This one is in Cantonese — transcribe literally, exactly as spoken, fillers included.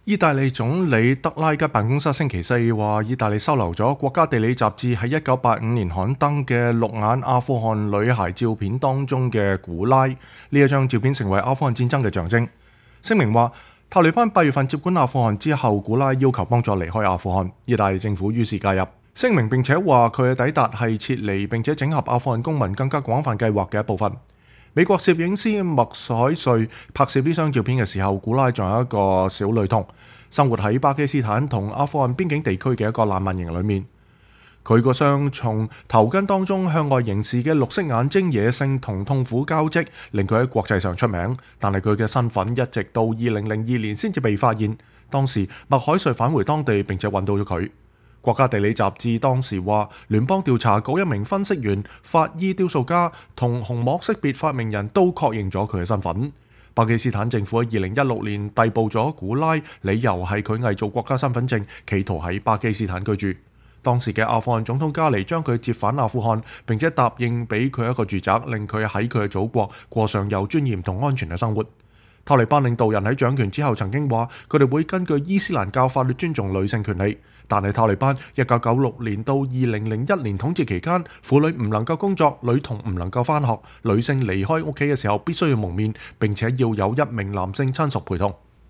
意大利總理德拉吉辦公室星期四話，意大利收留咗國家地理雜誌喺一九八五年刊登嘅綠眼阿富汗女孩照片當中嘅古拉，呢一張照片成為阿富汗戰爭嘅象徵。聲明話，塔利班八月份接管阿富汗之後，古拉要求幫助離開阿富汗，意大利政府於是介入。聲明並且話佢嘅抵達係撤離並且整合阿富汗公民更加廣泛計劃嘅一部分。美國攝影師麥凱瑞拍攝呢張照片嘅時候，古拉仲有一個小女童，生活喺巴基斯坦同阿富汗邊境地區嘅一個難民營裏面。佢個雙從頭巾當中向外凝視嘅綠色眼睛，野性同痛苦交織，令佢喺國際上出名。但係佢嘅身份一直到二零零二年先至被發現。當時麥凱瑞返回當地並且揾到咗佢。國家地理雜誌當時話，聯邦調查局一名分析員、法醫雕塑家同虹膜識別發明人都確認咗佢嘅身份。巴基斯坦政府喺二零一六年逮捕咗古拉，理由係佢偽造國家身份證，企圖喺巴基斯坦居住。當時嘅阿富汗總統加尼將佢接返阿富汗，並且答應俾佢一個住宅，令佢喺佢嘅祖國過上有尊嚴同安全嘅生活。塔利班領導人喺掌權之後曾經話，佢哋會根據伊斯蘭教法律尊重女性權利。但係塔利班一九九六年到二零零一年統治期間，婦女唔能夠工作，女童唔能夠返學，女性離開屋企嘅時候必須要蒙面，並且要有一名男性親屬陪同。